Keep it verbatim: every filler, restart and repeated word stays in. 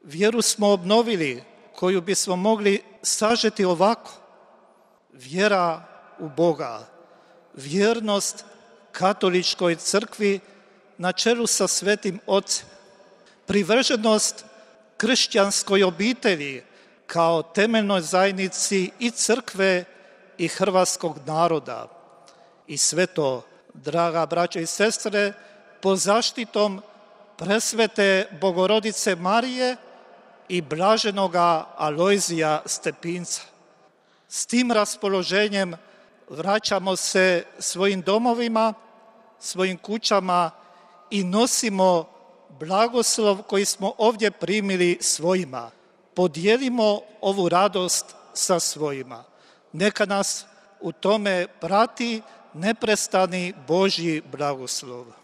Vjeru smo obnovili, koju bismo mogli sažeti ovako. Vjera u Boga, vjernost katoličkoj crkvi na čelu sa Svetim Ocem, privrženost kršćanskoj obitelji kao temeljnoj zajednici i crkve i hrvatskog naroda. I sve to, draga braćo i sestre, pod zaštitom presvete Bogorodice Marije i blaženoga Alojzija Stepinca. S tim raspoloženjem vraćamo se svojim domovima, svojim kućama i nosimo blagoslov koji smo ovdje primili svojima. Podijelimo ovu radost sa svojima. Neka nas u tome prati neprestani Božji blagoslov.